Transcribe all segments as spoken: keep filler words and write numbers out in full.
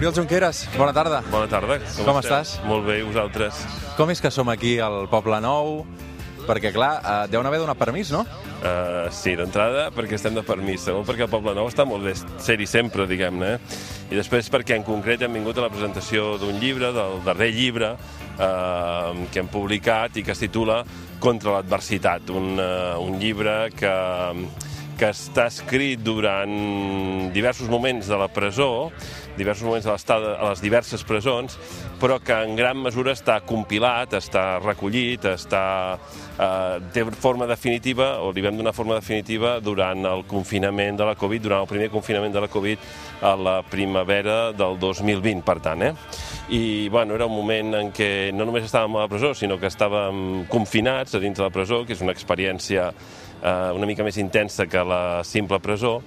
Oriol Junqueras, bona tarda. Bona tarda. Com, Com estàs? Molt bé, i vosaltres? Com és que som aquí al Poble Nou? Perquè, clar, eh, deuen haver donat permís, no? Uh, sí, d'entrada perquè estem de permís, segon perquè el Poble Nou està molt bé ser-hi sempre, diguem-ne, eh? I després perquè en concret hem vingut a la presentació d'un llibre, del darrer llibre, uh, que hem publicat i que es titula Contra l'adversitat, un, uh, un llibre que, que està escrit durant diversos moments de la presó, diversos moments de l'estada a les diverses presons, però que en gran mesura està compilat, està recollit, està, eh, té forma definitiva, o li vam donar forma definitiva durant el confinament de la Covid, durant el primer confinament de la Covid a la primavera del dos mil vint, per tant, eh? I, bueno, era un moment en què no només estàvem a la presó, sinó que estàvem confinats a dins de la presó, que és una experiència eh, una mica més intensa que la simple presó,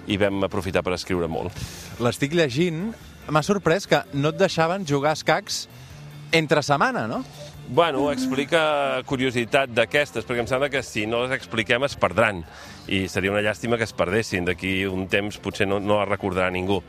i vam aprofitar per escriure molt. L'estic llegint, m'ha sorprès que no et deixaven jugar a escacs entre setmana, no? Bueno, explica curiositat d'aquestes, perquè em sembla que si no les expliquem es perdran, i seria una llàstima que es perdessin, d'aquí un temps potser no, no les recordarà ningú.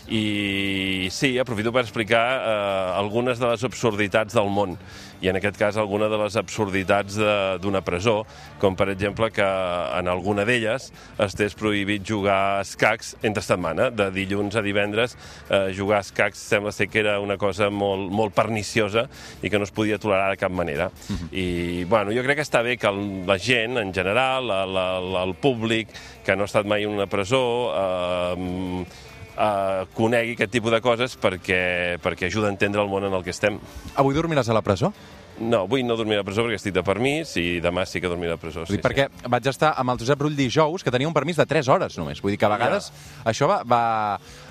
I sí, aprofito per explicar eh, algunes de les absurditats del món, i en aquest cas alguna de les absurditats d'una presó, com per exemple que en alguna d'elles estés prohibit jugar a escacs entre setmana, de dilluns a divendres. Eh, jugar a escacs sembla ser que era una cosa molt, molt perniciosa i que no es podia tolerar de cap manera. Uh-huh. I bueno, jo crec que està bé que la gent, en general, el, el, el públic que no ha estat mai en una presó, eh, Uh, conegui aquest tipus de coses perquè, perquè ajuda a entendre el món en el que estem. Avui dormiràs a la presó? No, avui no dormiré a la presó perquè estic de permís i demà sí que dormiré a la presó. Sí, Dic, perquè sí. Vaig estar amb el Josep Rull dijous, que tenia un permís de tres hores només. Vull dir que a vegades ja. Això va... va...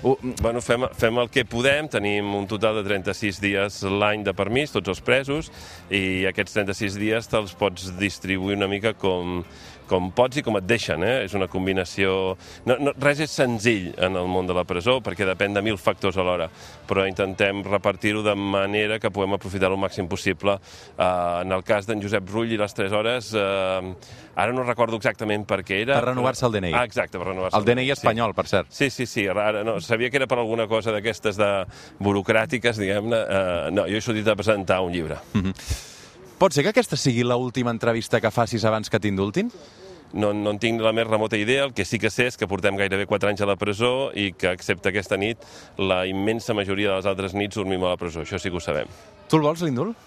Uh... Bueno, fem, fem el que podem. Tenim un total de trenta-sis dies l'any de permís, tots els presos, i aquests trenta-sis dies te'ls pots distribuir una mica com... com pots i com et deixen, eh? És una combinació... No, no, res és senzill en el món de la presó, perquè depèn de mil factors alhora, però intentem repartir-ho de manera que puguem aprofitar el màxim possible. Uh, en el cas d'en Josep Rull i les tres hores, uh, ara no recordo exactament per què era... Per renovar-se el D N I. Ah, exacte, per renovar-se el D N I espanyol, sí. Per cert. Sí, sí, sí, ara no, sabia que era per alguna cosa d'aquestes de burocràtiques, diguem-ne. Uh, no, jo he sortit a presentar un llibre. Mm-hmm. Pot ser que aquesta sigui l'última entrevista que facis abans que t'indultin? No, no en tinc la més remota idea. El que sí que sé és que portem gairebé quatre anys a la presó i que, excepte aquesta nit, la immensa majoria de les altres nits dormim a la presó. Això sí que ho sabem. Tu el vols, l'indult?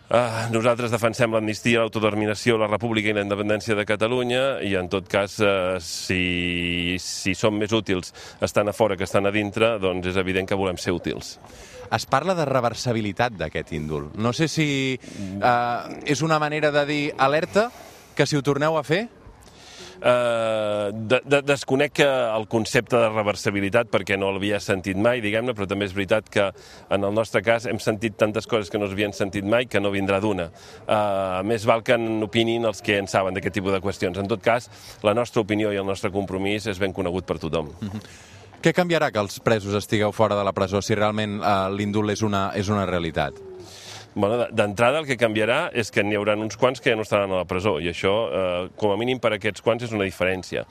Uh, nosaltres defensem l'amnistia, l'autodeterminació, la república i la independència de Catalunya i, en tot cas, uh, si, si som més útils estant a fora que estan a dintre, doncs és evident que volem ser útils. Es parla de reversibilitat d'aquest indult. No sé si uh, és una manera de dir alerta, que si ho torneu a fer... Uh, de, de, desconec el concepte de reversibilitat perquè no l'havia sentit mai, diguem-ne, però també és veritat que en el nostre cas hem sentit tantes coses que no s'havien sentit mai que no vindrà d'una. Uh, més val que n'opinin els que en saben d'aquest tipus de qüestions. En tot cas, la nostra opinió i el nostre compromís és ben conegut per tothom. Mm-hmm. Què canviarà que els presos estigueu fora de la presó si realment uh, l'indult és una, és una realitat? Bueno, d'entrada el que canviarà és que n'hi haurà uns quants que ja no estaran a la presó i això, eh, com a mínim per a aquests quants, és una diferència.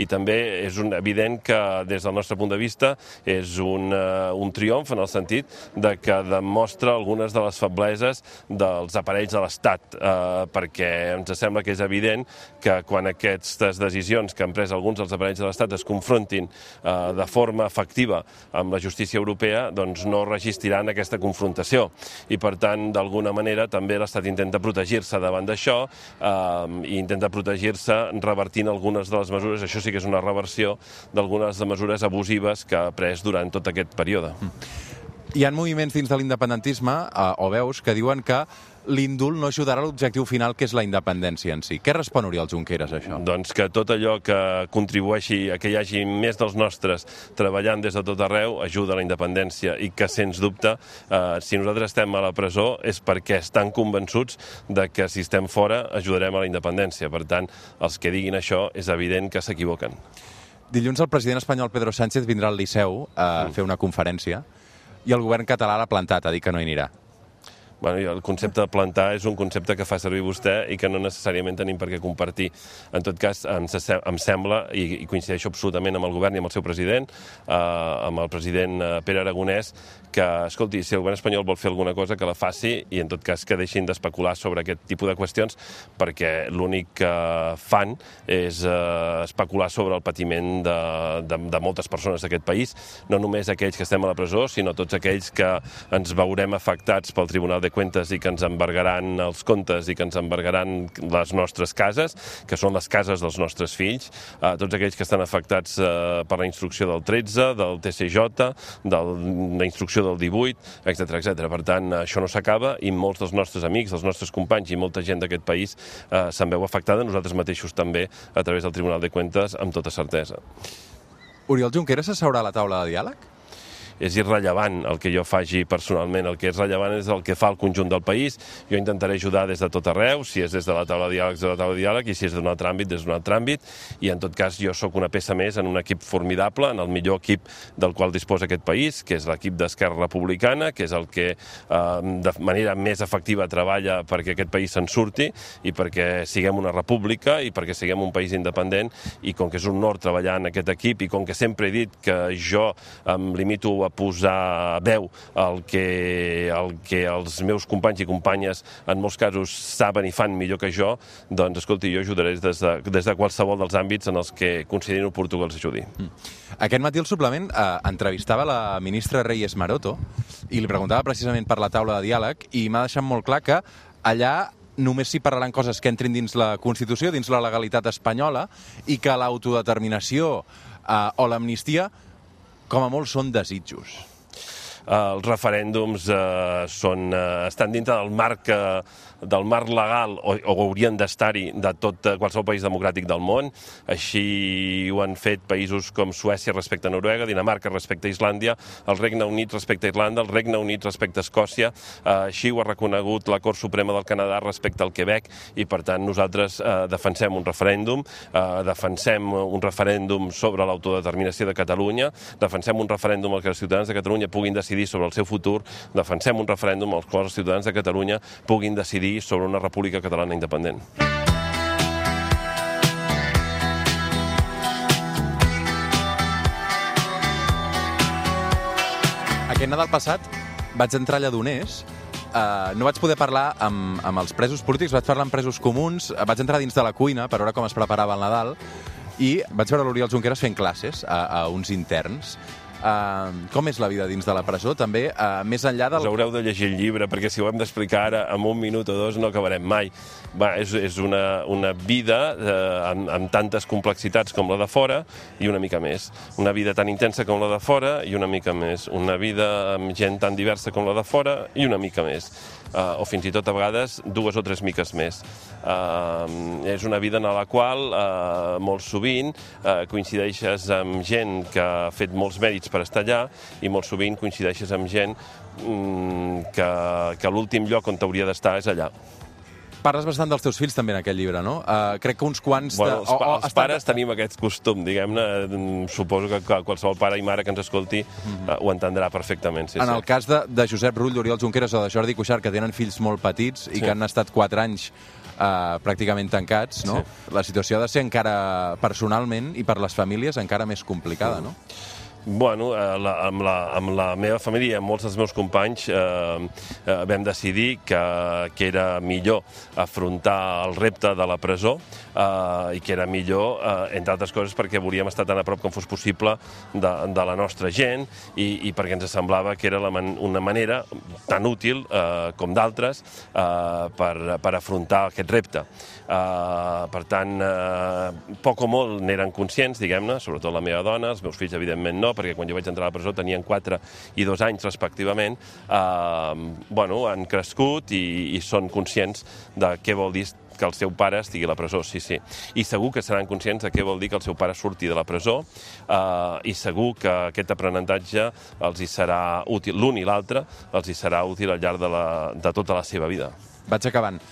I també és un, evident que des del nostre punt de vista és un, uh, un triomf en el sentit de que demostra algunes de les febleses dels aparells de l'Estat, eh, perquè ens sembla que és evident que quan aquestes decisions que han pres alguns dels aparells de l'Estat es confrontin eh, de forma efectiva amb la justícia europea, doncs no resistiran aquesta confrontació. I per tant, d'alguna manera, també l'Estat intenta protegir-se davant d'això eh, i intenta protegir-se revertint algunes de les mesures. Això sí que és una reversió d'algunes de mesures abusives que ha pres durant tot aquest període. Hi ha moviments dins de l'independentisme, eh, o veus, que diuen que l'indult no ajudarà a l'objectiu final, que és la independència en si. Què respon Oriol Junqueras a això? Doncs que tot allò que contribueixi a que hi hagi més dels nostres treballant des de tot arreu ajuda a la independència i que, sens dubte, eh, si nosaltres estem a la presó és perquè estan convençuts de que si estem fora ajudarem a la independència. Per tant, els que diguin això és evident que s'equivoquen. Dilluns el president espanyol Pedro Sánchez vindrà al Liceu a mm. fer una conferència i el govern català l'ha plantat, a dir que no hi anirà. Bueno, el concepte de plantar és un concepte que fa servir vostè i que no necessàriament tenim per què compartir. En tot cas, em, em sembla, i, i coincideixo absolutament amb el govern i amb el seu president, eh, amb el president Pere Aragonès, que, escolti, si el govern espanyol vol fer alguna cosa, que la faci i, en tot cas, que deixin d'especular sobre aquest tipus de qüestions, perquè l'únic que fan és eh, especular sobre el patiment de, de, de moltes persones d'aquest país, no només aquells que estem a la presó, sinó tots aquells que ens veurem afectats pel Tribunal de Cuentas i que ens embargaran els comptes i que ens embargaran les nostres cases, que són les cases dels nostres fills, eh, tots aquells que estan afectats eh, per la instrucció del tretze, del T C J, de la instrucció del divuit, etcètera, etcètera. Per tant, això no s'acaba i molts dels nostres amics, dels nostres companys i molta gent d'aquest país eh, se'n veu afectada, nosaltres mateixos també, a través del Tribunal de Cuentas, amb tota certesa. Oriol Junqueras s'asseurà a la taula de diàleg? És irrellevant el que jo faci personalment, el que és rellevant és el que fa el conjunt del país. Jo intentaré ajudar des de tot arreu, si és des de la taula de diàleg, des de la taula de diàleg, i si és d'un altre àmbit, des d'un altre àmbit, i en tot cas jo sóc una peça més en un equip formidable, en el millor equip del qual disposa aquest país, que és l'equip d'Esquerra Republicana, que és el que eh, de manera més efectiva treballa perquè aquest país se'n surti i perquè siguem una república i perquè siguem un país independent, i com que és un honor treballar en aquest equip i com que sempre he dit que jo em limito a posar veu al que, el que els meus companys i companyes en molts casos saben i fan millor que jo, doncs, escolti, jo ajudaré des de, des de qualsevol dels àmbits en els que considerin oportú que els ajudi. Mm. Aquest matí el suplement eh, entrevistava la ministra Reyes Maroto i li preguntava precisament per la taula de diàleg i m'ha deixat molt clar que allà només s'hi parlaran coses que entrin dins la Constitució, dins la legalitat espanyola, i que l'autodeterminació eh, o l'amnistia com a molt són desitjos. Els referèndums eh, són, eh, estan dintre del marc, eh, del marc legal, o, o haurien d'estar-hi, de tot eh, qualsevol país democràtic del món. Així ho han fet països com Suècia respecte a Noruega, Dinamarca respecte a Islàndia, el Regne Unit respecte a Irlanda, el Regne Unit respecte a Escòcia, eh, així ho ha reconegut la Cort Suprema del Canadà respecte al Quebec, i per tant nosaltres eh, defensem un referèndum, eh, defensem un referèndum sobre l'autodeterminació de Catalunya, defensem un referèndum al que els ciutadans de Catalunya puguin decidir sobre el seu futur, defensem un referèndum al qual els ciutadans de Catalunya puguin decidir sobre una república catalana independent. Aquest Nadal passat vaig entrar a Lledoners, uh, no vaig poder parlar amb, amb els presos polítics, vaig parlar amb presos comuns, vaig entrar dins de la cuina per veure com es preparava el Nadal i vaig veure l'Oriol Junqueras fent classes a, a uns interns. Uh, com és la vida dins de la presó, també, uh, més enllà del... Us haureu de llegir el llibre, perquè si ho hem d'explicar ara en un minut o dos no acabarem mai. Va, és, és una, una vida eh, amb, amb tantes complexitats com la de fora i una mica més. Una vida tan intensa com la de fora i una mica més. Una vida amb gent tan diversa com la de fora i una mica més. Uh, o fins i tot a vegades dues o tres miques més. Uh, és una vida en la qual uh, molt sovint uh, coincideixes amb gent que ha fet molts mèrits per estar allà i molt sovint coincideixes amb gent um, que, que l'últim lloc on t'hauria d'estar és allà. Parles bastant dels teus fills també en aquest llibre, no? Uh, crec que uns quants... Bueno, els, de... o, o, els pares de... tenim aquest costum, diguem-ne, suposo que qualsevol pare i mare que ens escolti mm-hmm. uh, ho entendrà perfectament. Sí, en sí. el cas de, de Josep Rull, d'Oriol Junqueras o de Jordi Cuixart, que tenen fills molt petits i sí. que han estat quatre anys uh, pràcticament tancats, no? Sí. La situació ha de ser encara, personalment i per les famílies, encara més complicada, no? Bueno, eh, la, amb, la, amb la meva família i amb molts dels meus companys eh, eh, vam decidir que, que era millor afrontar el repte de la presó eh, i que era millor, eh, entre altres coses, perquè volíem estar tan a prop com fos possible de, de la nostra gent i, i perquè ens semblava que era la man, una manera tan útil eh, com d'altres eh, per, per afrontar aquest repte. Eh, per tant, eh, poc o molt n'eren conscients, diguem-ne, sobretot la meva dona, els meus fills evidentment no, perquè quan jo vaig entrar a la presó tenien quatre i dos anys respectivament, eh, bueno, han crescut i, i són conscients de què vol dir que el seu pare estigui a la presó, sí, sí. I segur que seran conscients de què vol dir que el seu pare surti de la presó eh, i segur que aquest aprenentatge els hi serà útil, l'un i l'altre, els hi serà útil al llarg de, la, de tota la seva vida. Vaig acabant.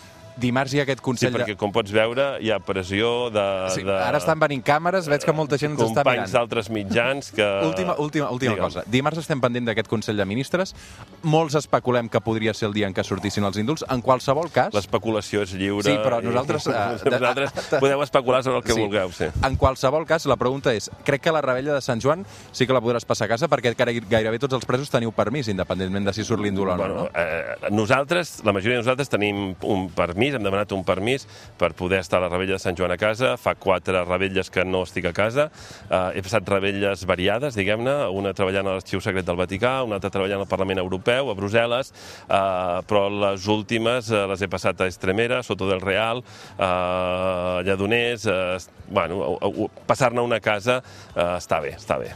dimarts hi ha aquest Sí, Consell de... perquè com pots veure hi ha pressió de... Sí, de... ara estan venint càmeres, veig que molta gent ens està mirant. Companys d'altres mitjans que... Última, última, última cosa. Dimarts estem pendent d'aquest Consell de Ministres. Molts especulem que podria ser el dia en què sortissin els indults. En qualsevol cas... L'especulació és lliure. Sí, però nosaltres... I... Uh, nosaltres podeu especular sobre el que sí. vulgueu, sí. En qualsevol cas, la pregunta és, crec que la rebella de Sant Joan sí que la podràs passar a casa perquè gairebé tots els presos teniu permís, independentment de si surt l'indult o no. Bueno, eh, nosaltres, la majoria de nosaltres tenim un permís, hem demanat un permís per poder estar a la rebella de Sant Joan a casa. Fa quatre rebelles que no estic a casa. Uh, he passat rebelles variades, diguem-ne, una treballant a l'Arxiu Secret del Vaticà, una altra treballant al Parlament Europeu, a Brussel·les, uh, però les últimes uh, les he passat a Estremera, Soto del Real, uh, Lledoners... Uh, bueno, uh, uh, passar-ne una casa uh, està bé, està bé.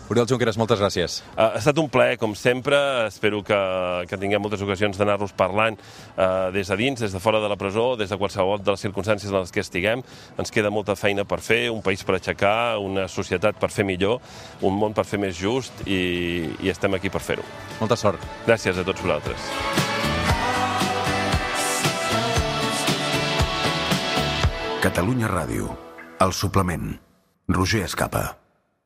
Oriol Junqueras, moltes gràcies. Uh, ha estat un plaer, com sempre. Espero que, que tinguem moltes ocasions d'anar-nos parlant uh, des de dins, des de fora de la presó, des de qualsevol de les circumstàncies en les que estiguem. Ens queda molta feina per fer, un país per aixecar, una societat per fer millor, un món per fer més just i, i estem aquí per fer-ho. Molta sort. Gràcies a tots vosaltres. Catalunya Ràdio. El suplement. Roger Escapa.